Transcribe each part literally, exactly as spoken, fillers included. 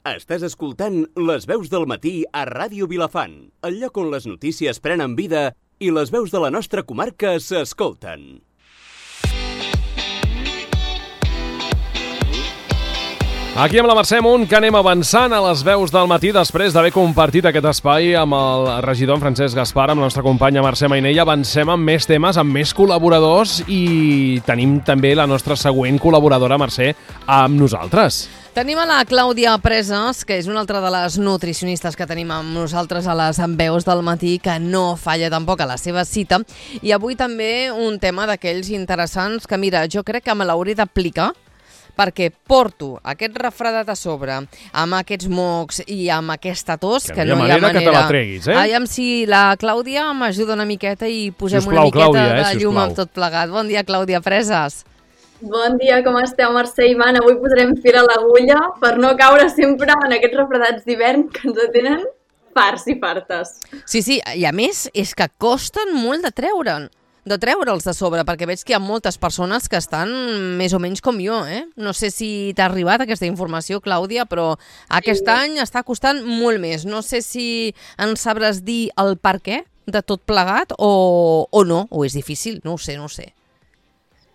Estàs escoltant Les veus del matí a Ràdio Vilafant, el lloc on les notícies prenen vida i les veus de la nostra comarca s'escolten. Aquí amb la Mercè Munt, que anem avançant a les veus del matí després d'haver compartit aquest espai amb el regidor Francesc Gaspar, amb la nostra companya Mercè Mainell. Avancem amb més temes, amb més col·laboradors i tenim també la nostra següent col·laboradora, Mercè, amb nosaltres. Tenim a la Clàudia Presas, que és una altra de les nutricionistes que tenim amb nosaltres a les veus del matí, que no falla tampoc a la seva cita. I avui també un tema d'aquells interessants que, mira, jo crec que me l'hauré d'aplicar, perquè porto aquest refredat a sobre, amb aquests mocs i amb aquesta tos, que, que no hi ha manera, manera que te la treguis, eh? Aviam si la Clàudia m'ajuda una miqueta i posem sisplau, una miqueta Clàudia, eh? de llum sisplau. amb tot plegat. Bon dia, Clàudia Presas. Bon dia, com esteu, Mercè i Ivan? Avui posarem fil a l'agulla per no caure sempre en aquests refredats d'hivern que ens tenen farts i fartes. Sí, sí, i a més és que costen molt de treure'n. de treure'ls de sobre, perquè veig que hi ha moltes persones que estan més o menys com jo, eh? No sé si t'ha arribat aquesta informació, Clàudia, però aquest sí. any està costant molt més. No sé si ens sabràs dir el per què de tot plegat o, o no, o és difícil, no ho sé, no ho sé.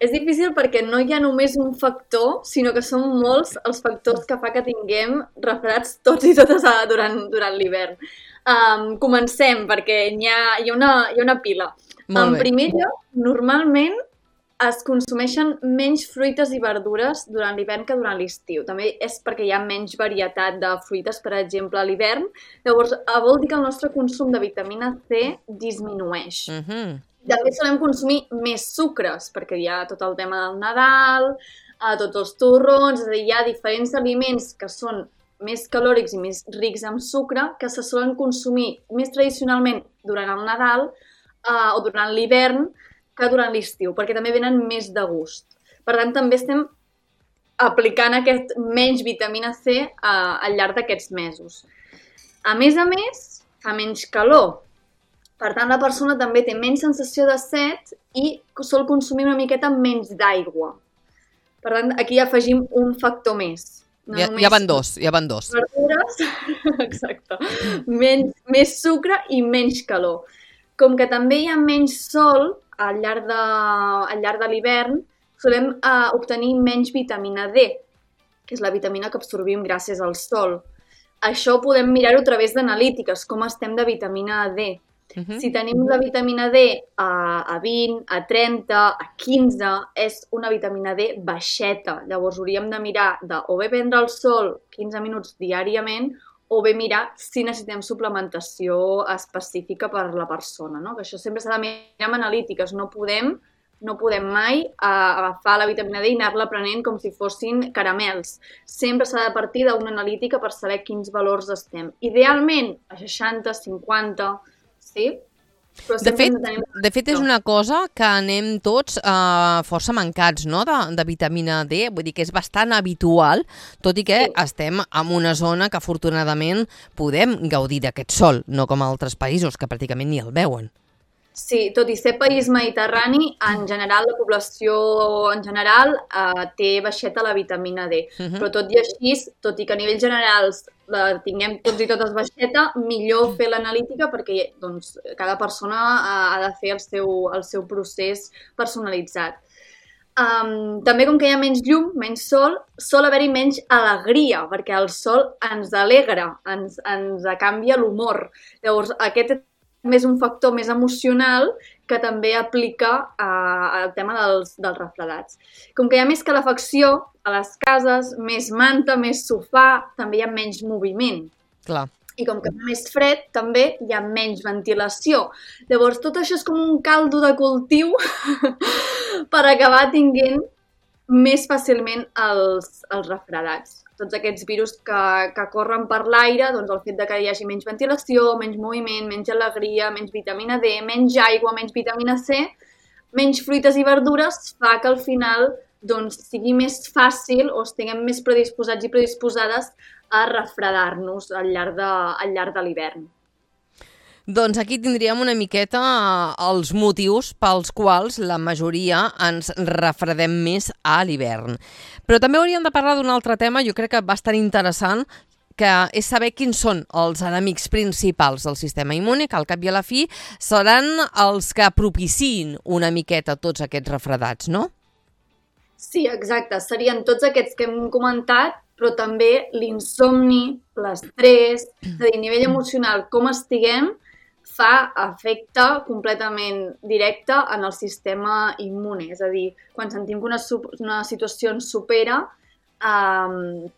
És difícil perquè no hi ha només un factor, sinó que són molts els factors que fa que tinguem refredats tots i totes durant, durant l'hivern. Um, comencem, perquè hi ha, hi ha, una, hi ha una pila. En primer lloc, normalment es consumeixen menys fruites i verdures durant l'hivern que durant l'estiu. També és perquè hi ha menys varietat de fruites, per exemple, a l'hivern. Llavors, vol dir que el nostre consum de vitamina C disminueix. Uh-huh. També solem consumir més sucres, perquè hi ha tot el tema del Nadal, a tots els torrons, és a dir, hi ha diferents aliments que són més calòrics i més rics en sucre, que se solen consumir més tradicionalment durant el Nadal uh, o durant l'hivern que durant l'estiu, perquè també venen més de gust. Per tant, també estem aplicant aquest menys vitamina C uh, al llarg d'aquests mesos. A més a més, fa menys calor. Per tant, la persona també té menys sensació de set i sol consumir una miqueta menys d'aigua. Per tant, aquí afegim un factor més. No ja, ja van dos, ja van dos. Verdures, exacte. Menys, més sucre i menys calor. Com que també hi ha menys sol al llarg de, al llarg de l'hivern, solem uh, obtenir menys vitamina D, que és la vitamina que absorbim gràcies al sol. Això ho podem mirar-ho a través d'analítiques, com estem de vitamina D. Uh-huh. Si tenim la vitamina D a, a vint, a trenta, a quinze, és una vitamina D baixeta. Llavors hauríem de mirar de o bé prendre el sol quinze minuts diàriament o bé mirar si necessitem suplementació específica per la persona, no? Que això sempre s'ha de mirar amb analítiques. No podem, no podem mai uh, agafar la vitamina D i anar-la prenent com si fossin caramels. Sempre s'ha de partir d'una analítica per saber quins valors estem. Idealment a seixanta, cinquanta... Sí? De fet, de fet, és una cosa que anem tots uh, força mancats, no?, de, de vitamina D. Vull dir que és bastant habitual, tot i que sí. estem en una zona que afortunadament podem gaudir d'aquest sol, no com altres països que pràcticament ni el veuen. Sí, tot i ser país mediterrani, en general la població en general eh, té baixeta la vitamina D. Uh-huh. Però tot i així, tot i que a nivell generals la tinguem tots i totes baixeta, millor fer l'analítica perquè doncs, cada persona ha de fer el seu, el seu procés personalitzat. Um, també com que hi ha menys llum, menys sol, sol haver-hi menys alegria, perquè el sol ens alegra, ens, ens canvia l'humor. Llavors, aquest més un factor més emocional que també aplica uh, al tema dels, dels refredats. Com que hi ha més calefacció a les cases, més manta, més sofà, també hi ha menys moviment. Clar. I com que fa més fred, també hi ha menys ventilació. Llavors, tot això és com un caldo de cultiu per acabar tinguent més fàcilment els, els refredats. Tots aquests virus que, que corren per l'aire, doncs el fet de que hi hagi menys ventilació, menys moviment, menys alegria, menys vitamina D, menys aigua, menys vitamina C, menys fruites i verdures, fa que al final doncs, sigui més fàcil o estiguem més predisposats i predisposades a refredar-nos al llarg de, al llarg de l'hivern. Doncs aquí tindríem una miqueta els motius pels quals la majoria ens refredem més a l'hivern. Però també hauríem de parlar d'un altre tema, jo crec que bastant interessant, que és saber quins són els enemics principals del sistema immune, que al cap i a la fi seran els que propiciïn una miqueta tots aquests refredats, no? Sí, exacte. Serien tots aquests que hem comentat, però també l'insomni, l'estrès, és a dir, a nivell emocional, com estiguem, fa efecte completament directe en el sistema immune. És a dir, quan sentim que una, una situació ens supera, eh,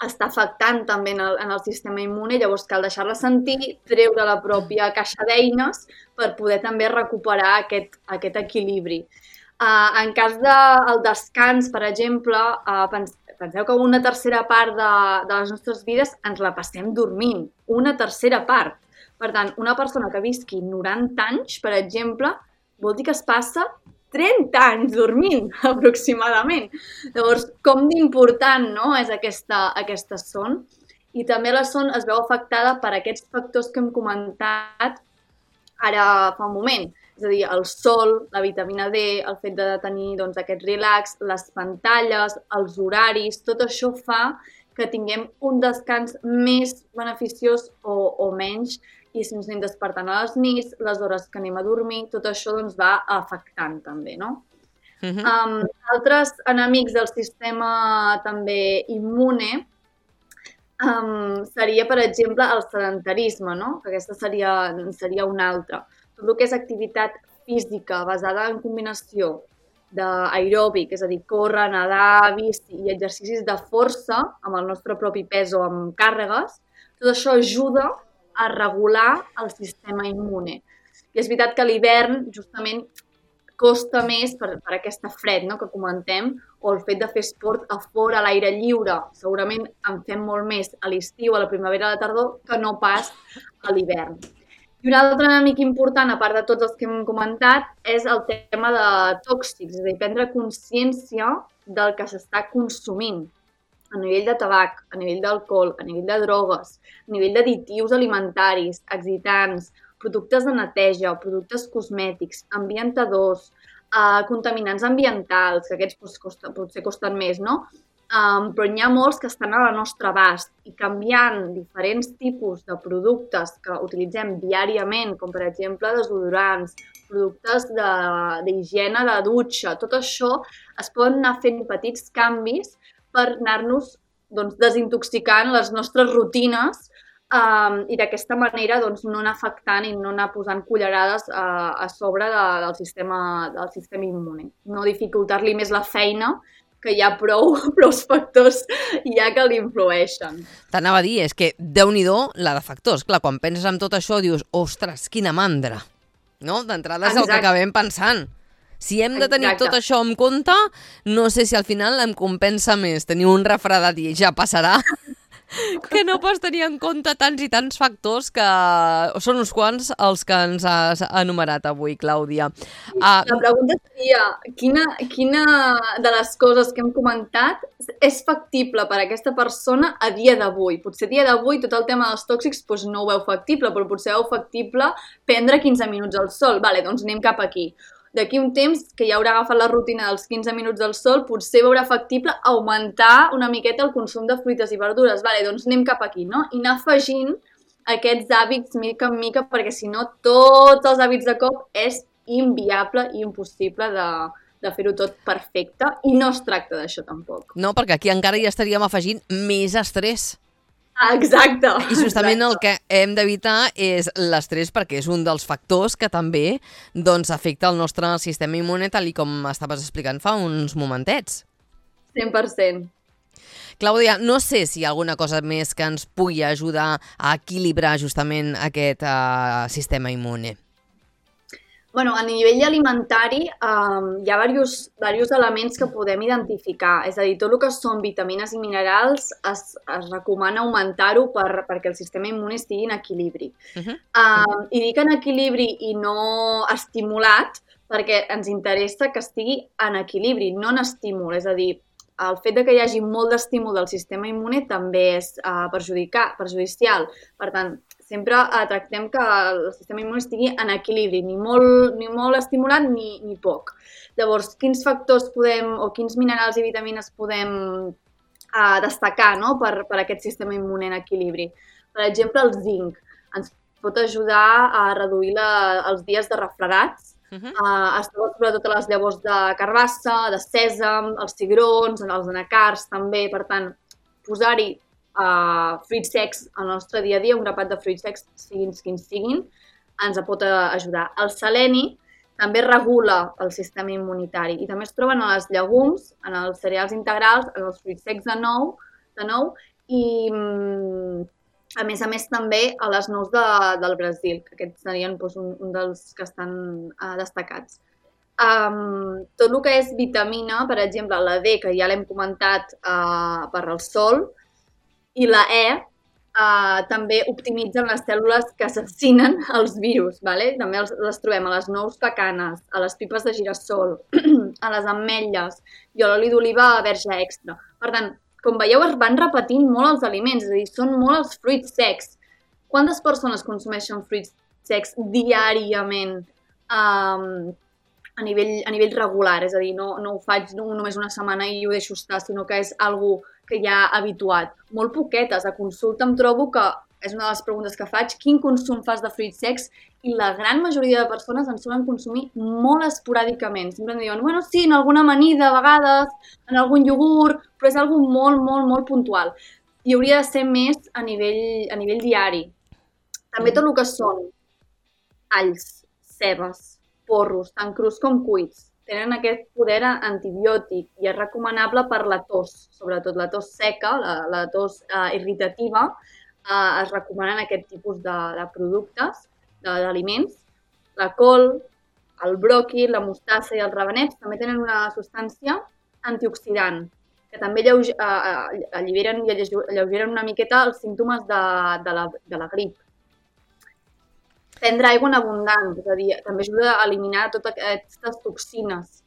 està afectant també en el, en el sistema immune, llavors cal deixar-la sentir, treure la pròpia caixa d'eines per poder també recuperar aquest, aquest equilibri. Uh, en cas del de, descans, per exemple, uh, pens, penseu que una tercera part de, de les nostres vides ens la passem dormint. Una tercera part. Per tant, una persona que visqui noranta anys, per exemple, vol dir que es passa trenta anys dormint, aproximadament. Llavors, com d'important, no?, és aquesta, aquesta son. I també la son es veu afectada per aquests factors que hem comentat ara fa un moment. És a dir, el sol, la vitamina D, el fet de tenir doncs, aquest relax, les pantalles, els horaris, tot això fa que tinguem un descans més beneficiós o, o menys, i si ens anem despertant a les nits, les hores que anem a dormir, tot això doncs, va afectant també, no? Uh-huh. um, altres enemics del sistema també immune um, seria, per exemple, el sedentarisme, no? Que aquesta seria, seria una altra. Tot el que és activitat física basada en combinació d'aeròbic, és a dir, córrer, nedar, bici i exercicis de força amb el nostre propi pes o amb càrregues, tot això ajuda a regular el sistema immune. I és veritat que a l'hivern justament costa més per, per aquesta fred, no?, que comentem, o el fet de fer esport a fora, a l'aire lliure. Segurament en fem molt més a l'estiu, a la primavera, a la tardor, que no pas a l'hivern. I un altre enemic important, a part de tots els que hem comentat, és el tema de tòxics, és a dir, prendre consciència del que s'està consumint a nivell de tabac, a nivell d'alcohol, a nivell de drogues, a nivell d'additius alimentaris, excitants, productes de neteja, productes cosmètics, ambientadors, eh, contaminants ambientals, que aquests pues, costa, potser costen més, no? Um, però n'hi ha molts que estan a la nostra abast i canviant diferents tipus de productes que utilitzem diàriament, com per exemple desodorants, productes d'higiene de, de dutxa, tot això es poden anar fent petits canvis per anar-nos doncs, desintoxicant les nostres rutines um, i d'aquesta manera doncs, no anar afectant i no anar posant cullerades uh, a sobre de, del, sistema, del sistema immune. No dificultar-li més la feina, que hi ha prou, prou factors ja que l'influeixen. T'anava a dir, és que Déu-n'hi-do la de factors. Clar, quan penses en tot això dius, ostres, quina mandra. No? D'entrada és el que acabem pensant. Si hem de tenir Exacte. Tot això en compte, no sé si al final em compensa més tenir un refredat i ja passarà, que no pots tenir en compte tants i tants factors que són uns quants els que ens has enumerat avui, Clàudia. Uh, La pregunta seria, quina, quina de les coses que hem comentat és factible per a aquesta persona a dia d'avui? Potser a dia d'avui tot el tema dels tòxics doncs no ho veu factible, però potser veu factible prendre quinze minuts al sol. Vale, doncs anem cap aquí. D'aquí un temps, que ja haurà agafat la rutina dels quinze minuts del sol, potser veurà factible augmentar una miqueta el consum de fruites i verdures. Vale, doncs anem cap aquí, no? I anar afegint aquests hàbits mica en mica, perquè si no, tots els hàbits de cop és inviable i impossible de, de fer-ho tot perfecte, i no es tracta d'això tampoc. No, perquè aquí encara hi estaríem afegint més estrès. Exacte. I justament exacte. El que hem d'evitar és l'estrès, perquè és un dels factors que també doncs, afecta el nostre sistema immune, tal com estaves explicant fa uns momentets. cent per cent. Clàudia, no sé si hi ha alguna cosa més que ens pugui ajudar a equilibrar justament aquest uh, sistema immune. Bueno, a nivell alimentari um, hi ha diversos, diversos elements que podem identificar. És a dir, tot el que són vitamines i minerals es, es recomana augmentar-ho per, perquè el sistema immune estigui en equilibri. Uh-huh. um, I dic en equilibri i no estimulat perquè ens interessa que estigui en equilibri, no en estímul. És a dir, el fet de que hi hagi molt d'estímul del sistema immune també és uh, perjudicar, perjudicial. Per tant, sempre uh, tractem que el sistema immune estigui en equilibri, ni molt, ni molt estimulat ni, ni poc. Llavors, quins factors podem, o quins minerals i vitamines podem a destacar, no? per, per aquest sistema immune en equilibri. Per exemple, el zinc ens pot ajudar a reduir la, els dies de refredats. Uh-huh. uh, es troba sobretot a les llavors de carbassa, de sèsam, els cigrons, els anacards també. Per tant, posar-hi uh, fruits secs al nostre dia a dia, un grapat de fruits secs, siguin quins siguin, ens pot ajudar. El seleni també regula el sistema immunitari i també es troben a les llegums, en els cereals integrals, en els fruits secs de nou, de nou i, a més a més, també a les nous de, del Brasil, que aquests serien doncs, un, un dels que estan uh, destacats. Um, tot el que és vitamina, per exemple, la D, que ja l'hem comentat uh, per el sol, i la E, Uh, també optimitzen les cèl·lules que assassinen els virus. Vale? També els, les trobem a les nous pecanes, a les pipes de girassol, a les ametlles i a l'oli d'oliva verge extra. Per tant, com veieu, es van repetint molt els aliments, és a dir, són molt els fruits secs. Quantes persones consumeixen fruits secs diàriament um, a, nivell, a nivell regular? És a dir, no, no ho faig no, només una setmana i ho deixo estar, sinó que és algú que ja ha habituat. Molt poquetes. A consulta em trobo que és una de les preguntes que faig, quin consum fas de fruits secs? I la gran majoria de persones en solen consumir molt esporàdicament. Sempre em diuen, bueno, sí, en alguna amanida, a vegades, en algun iogurt, però és algo molt, molt, molt puntual. I hauria de ser més a nivell, a nivell diari. També tot el que són alls, cebes, porros, tant crus com cuits, tenen aquest poder antibiòtic i és recomanable per la tos, sobretot la tos seca, la, la tos eh, irritativa, eh, es recomanen aquest tipus de, de productes, d'aliments. La col, el bròquil, la mostassa i els ravenets també tenen una substància antioxidant, que també alleuge, eh, alliberen i alleugeren una miqueta els símptomes de, de, la, de la grip. Prendre aigua en abundant, és a dir, també ajuda a eliminar totes aquestes toxines.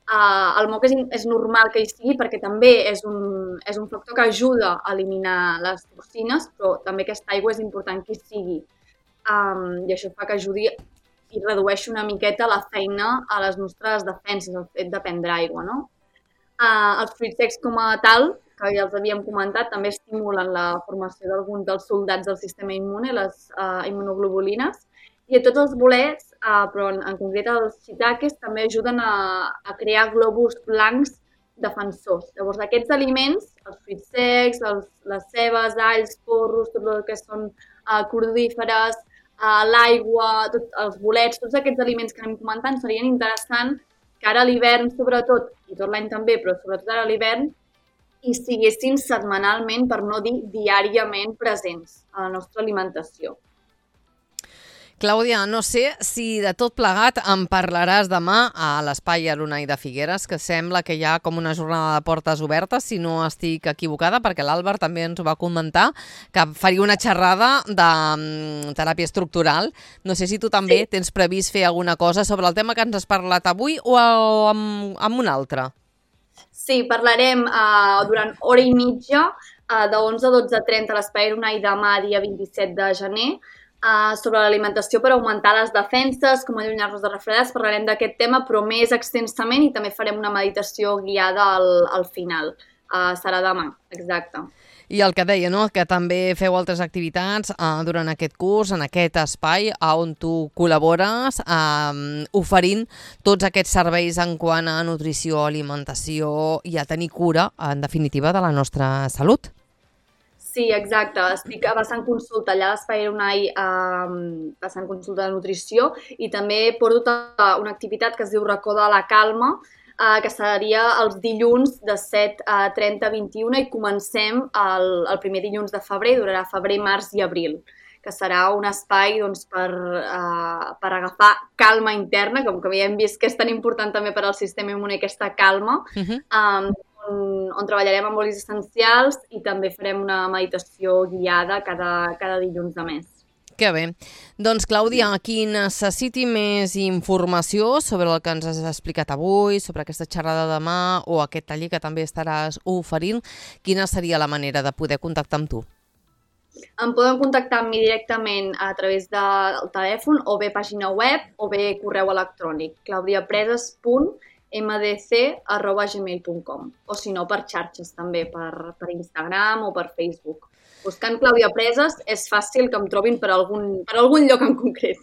Uh, el moc és, és normal que hi sigui perquè també és un, és un factor que ajuda a eliminar les toxines, però també aquesta aigua és important que hi sigui. Um, I això fa que ajudi i redueixi una miqueta la feina a les nostres defenses, el fet de prendre aigua, no? Uh, els fruits secs com a tal, que ja els havíem comentat, també estimulen la formació d'alguns dels soldats del sistema immune, les uh, immunoglobulines, i a tots els bolets, uh, però en, en concret els shiitakes, també ajuden a, a crear glòbuls blancs defensors. Llavors, aquests aliments, els fruits secs, els, les cebes, alls, porros, tot el que són uh, cruríferes, uh, l'aigua, tot, els bolets, tots aquests aliments que anem comentant serien interessants que ara a l'hivern, sobretot, i tot l'any també, però sobretot ara a l'hivern, hi siguessin setmanalment, per no dir diàriament, presents a la nostra alimentació. Clàudia, no sé si de tot plegat em parlaràs demà a l'Espai Arunai de Figueres, que sembla que hi ha com una jornada de portes obertes, si no estic equivocada, perquè l'Àlvar també ens ho va comentar, que faria una xerrada de um, teràpia estructural. No sé si tu també sí. tens previst fer alguna cosa sobre el tema que ens has parlat avui o, o amb, amb un altre. Sí, parlarem uh, durant hora i mitja, uh, de onze a dotze trenta a l'Espai Arunai demà, dia vint-i-set de gener, Uh, sobre l'alimentació per augmentar les defenses, com allunyar-nos de refredats, parlarem d'aquest tema, però més extensament, i també farem una meditació guiada al, al final. Uh, serà demà, exacte. I el que deia, no?, que també feu altres activitats uh, durant aquest curs, en aquest espai on tu col·labores, uh, oferint tots aquests serveis en quant a nutrició, alimentació i a tenir cura, en definitiva, de la nostra salut. Sí, exacte. Estic bastant consulta allà a l'Espai Arunai, um, bastant consulta de nutrició, i també porto una activitat que es diu Racó de la Calma, uh, que seria els dilluns de set a trenta a vint-i-una, i comencem el, el primer dilluns de febrer, durarà febrer, març i abril, que serà un espai doncs, per, uh, per agafar calma interna, com que ja hem vist que és tan important també per al sistema immune aquesta calma, uh-huh. um, On, on treballarem amb olis essencials i també farem una meditació guiada cada, cada dilluns de mes. Que bé. Doncs, Clàudia, qui necessiti més informació sobre el que ens has explicat avui, sobre aquesta xerrada de demà o aquest taller que també estaràs oferint, quina seria la manera de poder contactar amb tu? Em poden contactar amb mi directament a través del telèfon o bé pàgina web o bé correu electrònic, claudiapreses punt m d c arroba gmail punt com, o si no per xarxes també, per, per Instagram o per Facebook. Buscant Clàudia Presas és fàcil que em trobin per algun, per algun lloc en concret.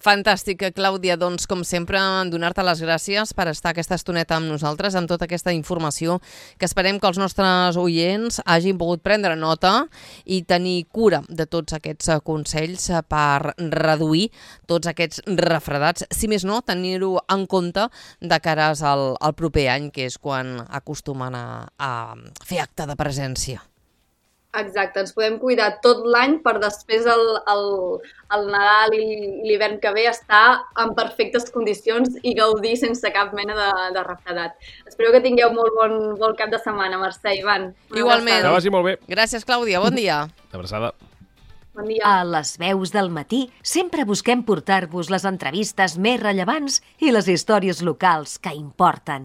Fantàstic, Clàudia. Doncs, com sempre, donar-te les gràcies per estar aquesta estoneta amb nosaltres, amb tota aquesta informació, que esperem que els nostres oients hagin pogut prendre nota i tenir cura de tots aquests consells per reduir tots aquests refredats. Si més no, tenir-ho en compte de cares al, al proper any, que és quan acostumen a, a fer acte de presència. Exacte, ens podem cuidar tot l'any per després el, el, el Nadal i l'hivern que ve estar en perfectes condicions i gaudir sense cap mena de, de refredat. Espero que tingueu molt bon, bon cap de setmana, Mercè, Ivan. Igualment. Que vagi molt bé. Gràcies, Clàudia. Bon dia. Abraçada. Bon dia. A les veus del matí sempre busquem portar-vos les entrevistes més rellevants i les històries locals que importen.